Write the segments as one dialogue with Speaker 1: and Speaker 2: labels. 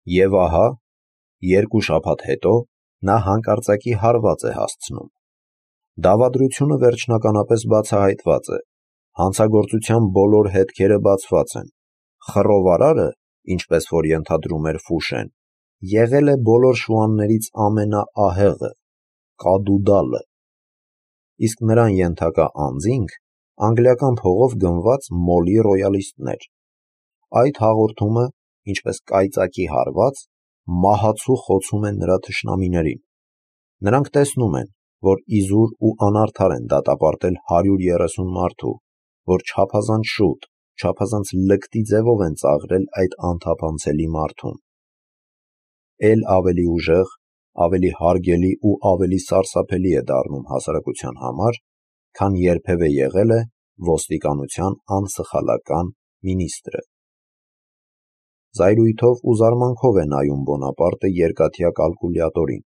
Speaker 1: Եվ ահա, 2 շաբաթ հետո նա հանկարծակի հարված է հասցնում։ Դավադրությունը վերջնականապես բացահայտված է, հանցագործության բոլոր հետքերը բացված են, խռովարարը, ինչպես որ ենթադրում էր Ֆուշեն, եղել է բոլոր շուաններից ամենաահեղը, կադուդալը, իսկ նրան ենթակա անձինք անգլիական փողով գնված մոլի ռոյալիստներ։ Այդ հաղորդումը, ինչպես կայծակի հարված, մահացու խոցում է նրա թշնամիներին։ Նրանք տեսնում են, որ իզուր ու անարդար են դատապարտել 130 մարդու, որ չափազանց շուտ, չափազանց լկտի ձևով են ծաղրել այդ անթափանցելի մարդուն։ Էլ ավելի ուժեղ, ավելի հարգելի ու ավելի սարսափելի է դառնում հասարակության համար, քան երբևէ եղել է ոստիկանության անսխալական մինիստրը։ Զայրույթով ու զարմանքով է նայում Բոնապարտը երկաթյա կալկուլյատորին,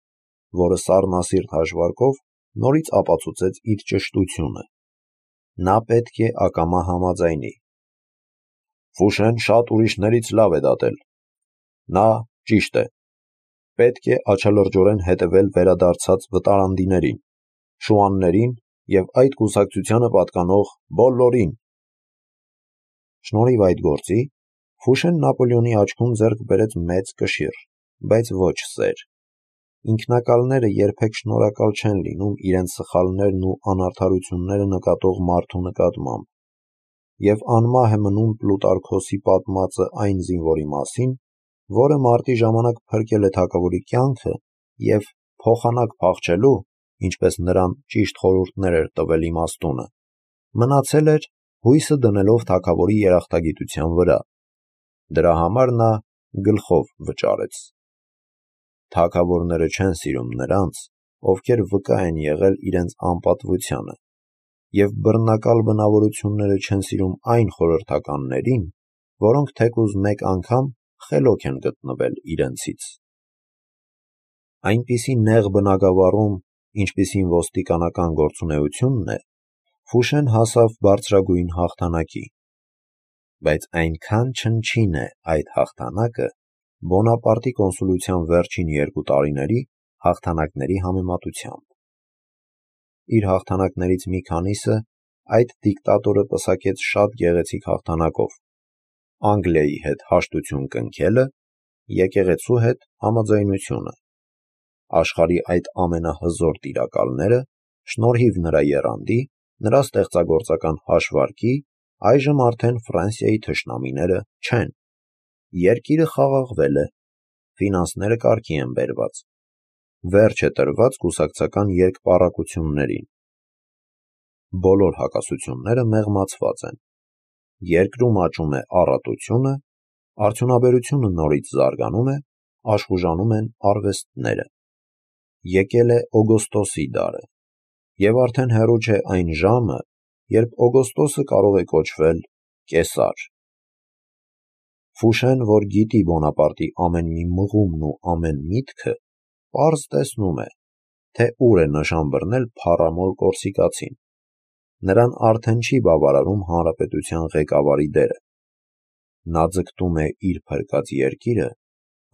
Speaker 1: որը սառնասիրտ հաշվարկով նորից ապացուցեց իր ճշտությունը։ Նա պետք է ակամա համաձայնի։ Ֆուշեն շատ ուրիշներից լավ է դատել։ Նա ճիշտ է։ Պետք է աչալրջորեն հետևել վերադարձած վտարանդիներին, շուաններին և այդ կուսակցությանը պատկանող բոլորին։ Շնորհիվ այդ գործի, Ֆուշեն Նապոլեոնի աչքում ձեռք բերեց մեծ կշիռ, բայց ոչ սեր։ Ինքնակալները երբեք շնորհակալ չեն լինում իրենց սխալներն ու անարդարությունները նկատող մարդու նկատմամբ, և անմահ է մնում Պլուտարքոսի պատմածը այն զինվորի մասին, որը մարտի ժամանակ փրկել է թագավորի կյանքը և փոխանակ փախչելու, ինչպես նրան ճիշտ խորհուրդներ էր տվել իմաստունը, մնացել էր հույսը դնելով թագավորի երախտագիտության վրա։ Դրա համար նա գլխով վճարեց։ Թագավորները չեն սիրում նրանց, ովքեր վկա են եղել իրենց անպատվությանը, և բռնակալ բնավորությունները չեն սիրում այն խորհրդականներին, որոնք թեկուզ մեկ անգամ խելոք են գտնվել իրենցից։ Այնպիսի նեղ բնագավառում, ինչպիսին ոստիկանական գործունեությունն է, Ֆուշեն հասավ բարձրագույն հաղթանակի, բայց այնքան չնչին է այդ հաղթանակը Բոնապարտի կոնսուլության վերջին 2 տարիների հաղթանակների համեմատությամբ։ Իր հաղթանակներից մի քանիսը այդ դիկտատորը պսակեց շատ գեղեցիկ հաղթանակով. Անգլիայի հետ հաշտություն կնքելը, եկեղեցու հետ համաձայնությունը։ Աշխարհի այդ ամենահզոր տիրակալները, շնորհիվ նրա եռանդի, նրա ստեղծագործական հաշվարկի, այժմ արդեն Ֆրանսիայի թշնամիները չեն։ Երկիրը խաղաղվել է, ֆինանսները կարգի են բերված, վերջ է տրված կուսակցական երկպառակություններին։ Բոլոր հակասությունները մեղմացված են։ Երկրում աճում է առատությունը, արդյունաբերությունը նորից զարգանում է, աշխուժանում են արվեստները։ Եկել է Օգոստոսի դարը, և արդեն հեռու չէ այն ժամը, երբ Օգոստոսը կարող է կոչվել կեսար։ Ֆուշեն, որ գիտի Բոնապարտի ամեն մի մղումն ու ամեն միտքը, պարզ տեսնում է, թե ուր է նշան բռնել փառամոլ կորսիկացին։ Նրան արդեն չի բավարարում հանրապետության ղեկավարի դերը։ Նա ձգտում է իր փրկած երկիրը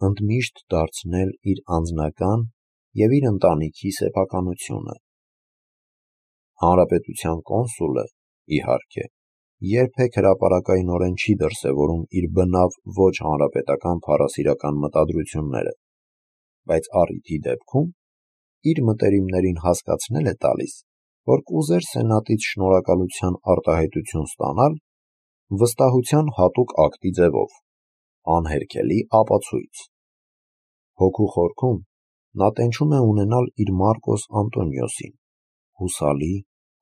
Speaker 1: ընդմիշտ դարձնել իր անձնական և իր ընտանիքի սեփականությունը։ Հանրապետության կոնսուլը, իհարկե, երբեք հրապարակայնորեն չի դրսևորում իր բնավ ոչ հանրապետական փառասիրական մտադրությունները, բայց առիթի դեպքում իր մտերիմներին հասկացնել է տալիս, որ կուզեր սենատից շնորհակալության արտահայտություն ստանալ վստահության հատուկ ակտի ձևով, անհերքելի ապացույց։ Հոգու խորքում նա տենչում է ունենալ իր Մարկոս Անտոնիոսին, հուսալի,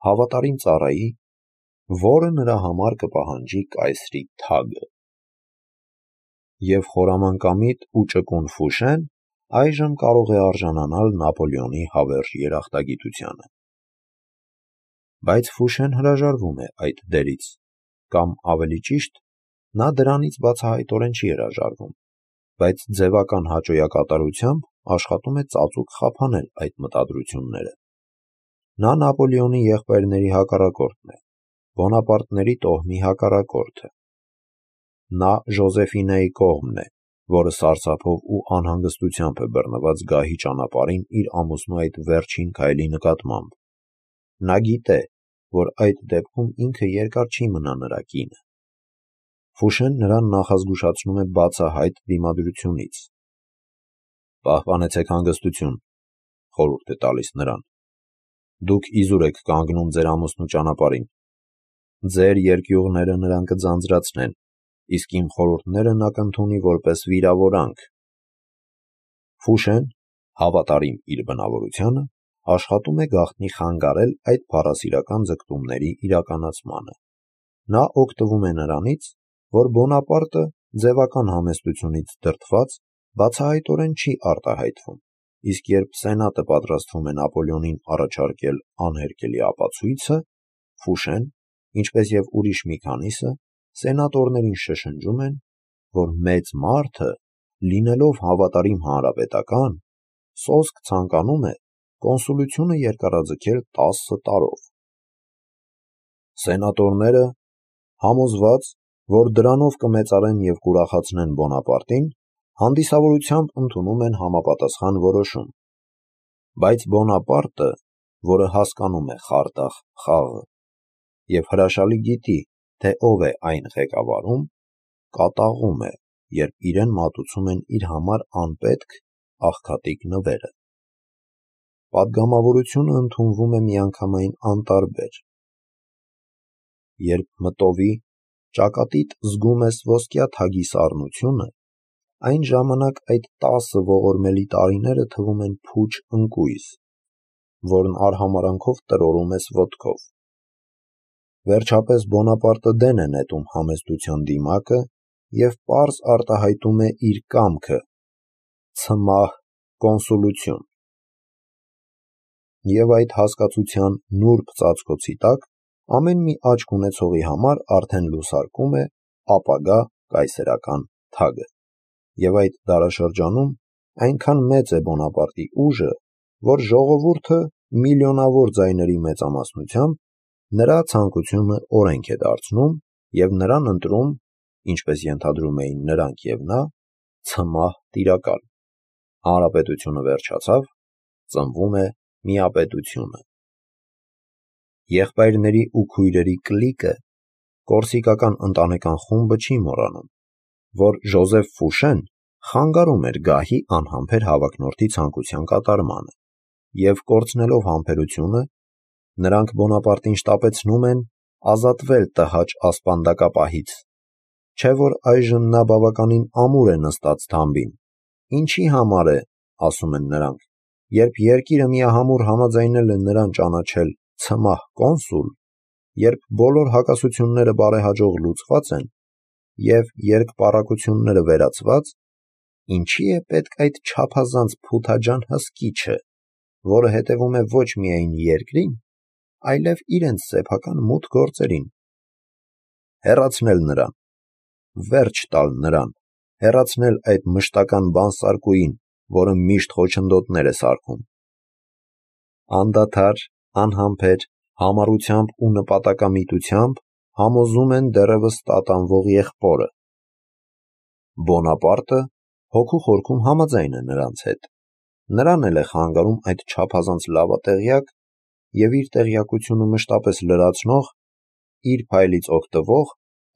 Speaker 1: հավատարիմ ծառայի, որը նրա համար կպահանջի կայսրի թագը։ Եվ խորամանկամիտ ու ճկուն Ֆուշեն այժմ կարող է արժանանալ Նապոլեոնի հավերժ երախտագիտությանը։ Բայց Ֆուշեն հրաժարվում է այդ դերից, կամ ավելի ճիշտ, նա դրանից բացահայտորեն չի հրաժարվում, բայց ձևական հաճոյակատարությամբ աշխատում է ծածուկ խափանել այդ մտադրությունները։ Նա Նապոլեոնի եղբայրների հակառակորդն է, Բոնապարտների տոհմի հակառակորդը։ Նա Ժոզեֆինեի կողմն է, որը սարսափով ու անհանգստությամբ է բռնված գահի ճանապարհին իր ամուսնու այդ վերջին քայլի նկատմամբ։ Նա գիտե, որ այդ դեպքում ինքը երկար չի մնա նրա կինը։ Ֆուշեն նրան նախազգուշացնում է բացահայտ դիմադրությունից։ «Պահպանեցեք հանգստություն», խորհուրդ է տալիս նրան։ «Դուք իզուր եք կանգնում ձեր ամուսնու ճանապարհին։ Ձեր երկյուղները նրան կձանձրացնեն, իսկ իմ խորհուրդները նա կընդունի որպես վիրավորանք»։ Ֆուշեն, հավատարիմ իր բնավորությանը, աշխատում է գաղտնի խանգարել այդ փառասիրական ձգտումների իրականացմանը։ Նա օգտվում է նրանից, որ Բոնապարտը ձևական համեստությունից դրդված բացահայտորեն չի արտահայտվում, իսկ երբ Սենատը պատրաստվում է Նապոլեոնին առաջարկել անհերքելի ապացույցը, Ֆուշեն, ինչպես և ուրիշ մի քանիսը, սենատորներին շշնջում են, որ մեծ մարդը, լինելով հավատարիմ հանրապետական, սոսկ ցանկանում է կոնսուլությունը երկարաձգել 10 տարով։ Սենատորները, համոզված, որ դրանով կմեծարեն և կուրախացնեն Բոնապարտին, հանդիսավորությամբ ընդունում են համապատասխան որոշում։ Բայց Բոնապարտը, որը հասկանում է խարդախ խաղը և հրաշալի գիտի, թե ով է այն ղեկավարում, կատաղում է, երբ իրեն մատուցում են իր համար անպետք աղքատիկ նվերը։ Պատգամավորությունը ընդունվում է միանգամայն անտարբեր։ Երբ մտովի, ճակատիդ զգում ես ոսկյա թագի սառնությունը, այն ժամանակ այդ 10 ողորմելի տարիները թվում են փուչ ընկույզ, որն արհամարհանքով տրորում ես ոտքով։ Վերջապես Բոնապարտը դեն է նետում համեստության դիմակը և պարզ արտահայտում է իր կամքը՝ ցմահ կոնսուլություն։ Եվ այդ հասկացության նուրբ ծածկոցի տակ ամեն մի աչք ունեցողի համար արդեն լուսարկում է ապագա կայսերական թագը։ Եվ այդ դարաշրջանում այնքան մեծ է Բոնապարտի ուժը, որ ժողովուրդը միլիոնավոր ձայների մեծամասնությամբ նրա ցանկությունը օրենք է դարձնում և նրան ընտրում, ինչպես ենթադրում էին նրանք և նա, ցմահ տիրակալ։ Հանրապետությունը վերջացավ, ծնվում է միապետությունը։ Եղբայրների ու քույրերի կլիկը, կորսիկական ընտանեկան խումբը չի մոռանում, որ Ժոզեֆ Ֆուշեն խանգարում էր գահի անհամբեր հավակնորդի ցանկության կատարմանը, և կորցնելով համբերությունը, նրանք Բոնապարտին շտապեցնում են ազատվել տհաճ ասպանդակապահից, չէ՞ որ այժմ նա բավականին ամուր է նստած թամբին։ Ինչի համար է, ասում են նրանք, երբ երկիրը միահամուռ համաձայնել է նրան ճանաչել ցմահ կոնսուլ, երբ բոլոր հակասությունները բարեհաջող լուծված են և երկպառակությունները վերացված, ինչի է պետք այդ չափազանց փութաջան հսկիչը, որը հետևում է ոչ միայն երկրին, այլև իրենց սեփական մութ գործերին։ Հեռացնել նրան, վերջ տալ նրան, հեռացնել այդ մշտական բանսարկուին, որը միշտ խոչընդոտներ է սարքում։ Անդադար, անհամբեր, համառությամբ ու նպատակամիտությամբ համոզում են դեռևս տատանվող եղբորը։ Բոնապարտը հոգու խորքում համաձայն է նրանց հետ։ Նրան էլ է խանգարում այդ չափազանց լավատեղյակ և իր տեղյակությունը մշտապես լրացնող, իր փայլից օգտվող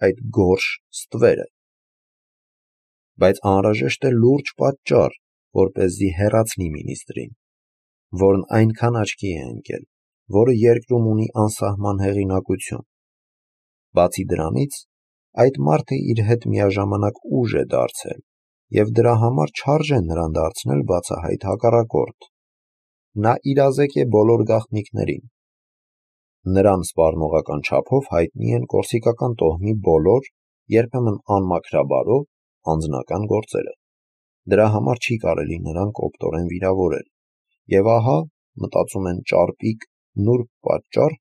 Speaker 1: այդ գորշ ստվերը։ Բայց անհրաժեշտ է լուրջ պատճառ, որպեսզի հեռացնի մինիստրին, որն այնքան աչքի է ընկել, որը երկրում ունի անսահման հեղինակություն։ Բացի դրանից, այդ մարդը իր հետ միաժամանակ ուժ է դարձել և դրա համար չարժե նրան դարձնել բացահայտ հակառակորդ։ Նա իրազեկ է բոլոր գաղտնիքներին։ Նրան սպառնողական չափով հայտնի են կորսիկական տոհմի բոլոր, երբեմն անմաքրաբարո, անձնական գործերը։ Դրա համար չի կարելի նրան կոպտորեն վիրավորել։ Եվ ահա, մտածում են ճարպիկ, նուրբ պատճառ,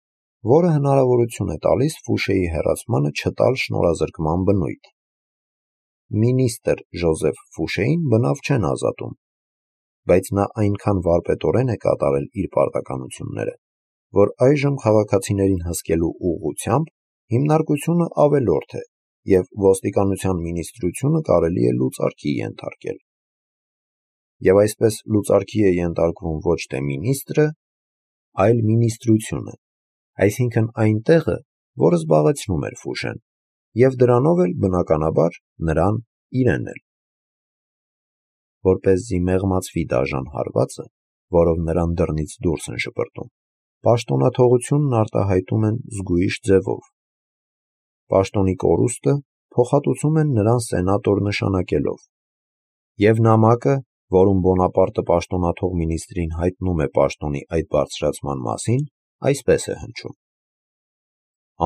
Speaker 1: որը հնարավորություն է տալիս Ֆուշեի հեռացմանը չտալ շնորհազրկման բնույթ։ Մինիստր Ժոզեֆ Ֆուշեին բնավ չեն ազատում, բայց նա այնքան վարպետորեն է կատարել իր պարտականությունները, որ այժմ քաղաքացիներին հսկելու ուղղությամբ հիմնարկությունը ավելորդ է և ոստիկանության մինիստրությունը կարելի է լուծարքի ենթարկել։ Եվ այսպես լուծարքի է ենթարկվում ոչ թե մինիստրը, այլ մինիստրությունը, այսինքն այն տեղը, որը զբաղեցնում էր Ֆուշեն, և դրանով էլ բնականաբար նրան իրեն էլ։ Որպեսզի մեղմացվի դաժան հարվածը, որով նրան դռնից դուրս են շպրտում, պաշտոնաթողությունն արտահայտում են զգույշ ձևով։ Պաշտոնի կորուստը փոխհատուցում են նրան սենատոր նշանակելով, և նամակը, որում Բոնապարտը պաշտոնաթող մինիստրին հայտնում է պաշտոնի այդ բարձրացման մասին, այսպես է հնչում.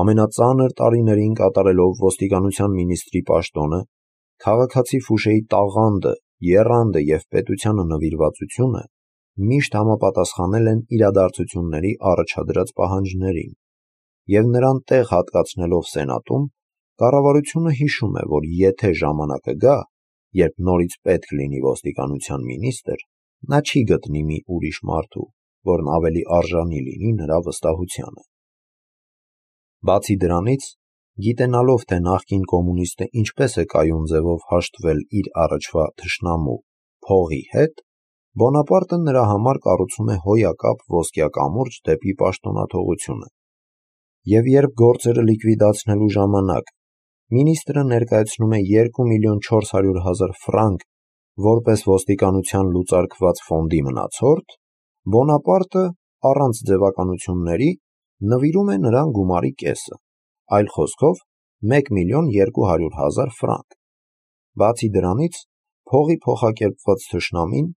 Speaker 1: ամենածանր տարիներին կատարելով ոստիկանության մինիստրի պաշտոնը, քաղաքացի Ֆուշեի տաղանդը, եռանդը և պետությանը նվիրվածությունը միշտ համապատասխանել են իրադարձությունների առաջադրած պահանջներին, և նրան տեղ հատկացնելով սենատում, կառավարությունը հիշում է, որ եթե ժամանակը գա, երբ նորից պետք լինի ոստիկանության մինիստր, նա չի գտնի մի ուրիշ մարդու, որն ավելի արժանի լինի նրա վստահությանը։ Բացի դրանից, գիտենալով, թե նախկին կոմունիստը ինչպես է կայուն ձևով հաշտվել իր առաջվա թշնամու փողի հետ, Բոնապարտը նրա համար կառուցում է հոյակապ ոսկյա կամուրջ դեպի պաշտոնաթողությունը, և երբ գործերը լիկվիդացնելու ժամանակ մինիստրը ներկայացնում է 2.400.000 ֆրանկ որպես ոստիկանության լուծարքված ֆոնդի մնացորդ, Բոնապարտը առանց ձևականությունների նվիրում է նրան գումարի կեսը, այլ խոսքով 1.200.000 ֆրանկ։ Բացի դրանից, փողի փոխակերպված թշնամին,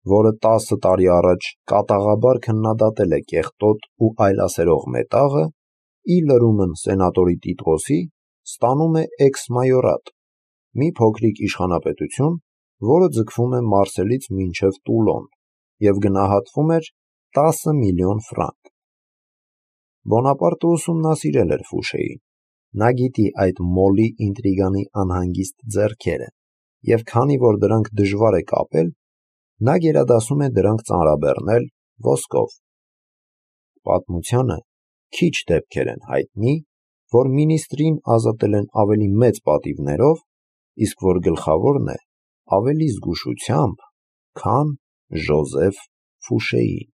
Speaker 1: որը 10 տարի առաջ կատաղաբար քննադատել է կեղտոտ ու այլասերող մետաղը, ի լրումն սենատորի տիտղոսի, ստանում է էքս-մայորատ, մի փոքրիկ իշխանապետություն, որը ձգվում է Մարսելից մինչև Տուլոն և գնահատվում էր 10 միլիոն ֆրանկ։ Բոնապարտը ուսումնասիրել էր Ֆուշեին, նա գիտի այդ մոլի ինտրիգանի անհանգիստ ձեռքերը, և քանի որ դրանք դժվար է կապել, նա գերադասում է դրանք ծանրաբեռնել ոսկով։ Պատմությանը քիչ դեպքեր են հայտնի, որ մինիստրին ազատել են ավելի մեծ պատիվներով, իսկ որ գլխավորն է ավելի զգուշությամբ, քան Ժոզեֆ Ֆուշեին։